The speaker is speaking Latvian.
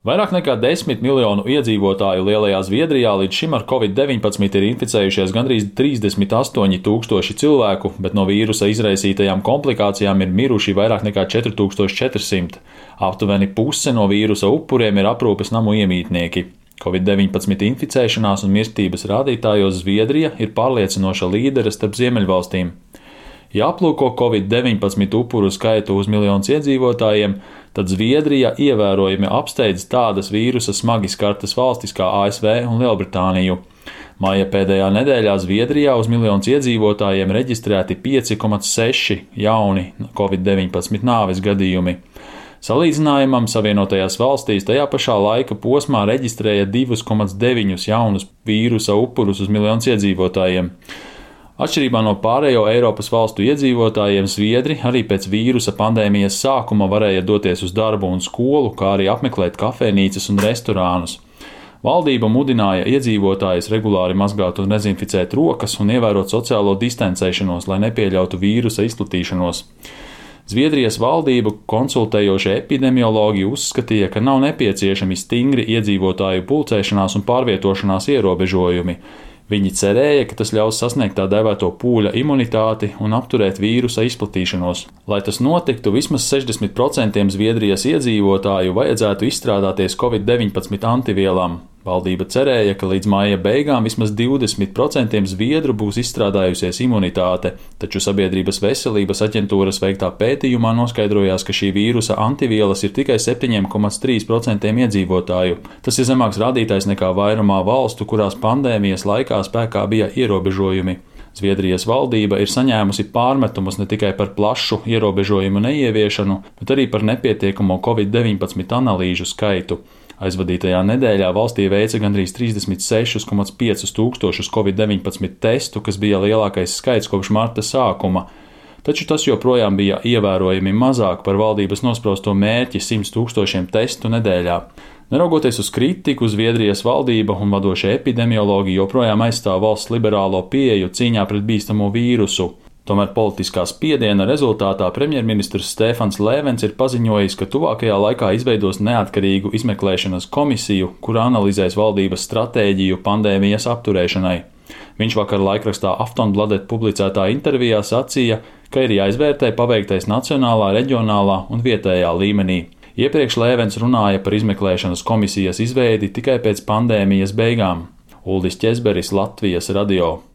Vairāk nekā 10 miljonu iedzīvotāju lielajā Zviedrijā līdz šim ar Covid-19 ir inficējušies gandrīz 38,000 cilvēku, bet no vīrusa izraisītajām komplikācijām ir miruši vairāk nekā 4400. Aptuveni puse no vīrusa upuriem ir aprūpes namu iemītnieki. Covid-19 inficēšanās un mirstības rādītājos Zviedrija ir pārliecinoša līdere starp ziemeļvalstīm. Ja aplūko Covid-19 upuru skaitu uz miljonus iedzīvotājiem, tad Zviedrija ievērojami apsteidz tādas vīrusa smagi skartas valstis kā ASV un Lielbritāniju. Maija pēdējā nedēļā Zviedrijā uz miljonus iedzīvotājiem reģistrēti 5,6 jauni Covid-19 nāves gadījumi. Salīdzinājumam Savienotajās valstīs tajā pašā laika posmā reģistrēja 2,9 jaunus vīrusa upurus uz miljonus iedzīvotājiem. Atšķirībā no pārējo Eiropas valstu iedzīvotājiem, Zviedri arī pēc vīrusa pandēmijas sākuma varēja doties uz darbu un skolu, kā arī apmeklēt kafejnīcas un restorānus. Valdība mudināja iedzīvotājus regulāri mazgāt un dezinficēt rokas un ievērot sociālo distancēšanos, lai nepieļautu vīrusa izplatīšanos. Zviedrijas valdību konsultējošie epidemiologi uzskatīja, ka nav nepieciešami stingri iedzīvotāju pulcēšanās un pārvietošanās ierobežojumi. Viņi cerēja, ka tas ļaus sasniegt tā dēvēto pūļa imunitāti un apturēt vīrusa izplatīšanos. Lai tas notiktu, vismaz 60% Zviedrijas iedzīvotāju vajadzētu izstrādāties Covid-19 antivielām. Valdība cerēja, ka līdz maija beigām vismaz 20% zviedru būs izstrādājusies imunitāte, taču Sabiedrības veselības aģentūras veiktā pētījumā noskaidrojās, ka šī vīrusa antivielas ir tikai 7,3% iedzīvotāju. Tas ir zemāks rādītājs nekā vairumā valstu, kurās pandēmijas laikā spēkā bija ierobežojumi. Zviedrijas valdība ir saņēmusi pārmetumus ne tikai par plašu ierobežojumu neieviešanu, bet arī par nepietiekamo Covid-19 analīžu skaitu. Aizvadītajā nedēļā valstī veica gandrīz 36,5 tūkstošus Covid-19 testu, kas bija lielākais skaits kopš marta sākuma. Taču tas joprojām bija ievērojami mazāk par valdības nosprausto mērķi 100 tūkstošiem testu nedēļā. Neraugoties uz kritiku, Zviedrijas valdība un vadošie epidemiologi joprojām aizstāv valsts liberālo pieeju cīņā pret bīstamo vīrusu. Tomēr politiskā spiediena rezultātā premjerministrs Stefans Lēvens ir paziņojis, ka tuvākajā laikā izveidos neatkarīgu izmeklēšanas komisiju, kura analizēs valdības stratēģiju pandēmijas apturēšanai. Viņš vakar laikrakstā Aftonbladet publicētā intervijā sacīja, ka ir jāizvērtē paveiktais nacionālā, reģionālā un vietējā līmenī. Iepriekš Lēvens runāja par izmeklēšanas komisijas izveidi tikai pēc pandēmijas beigām. Uldis Ķezberis, Latvijas radio.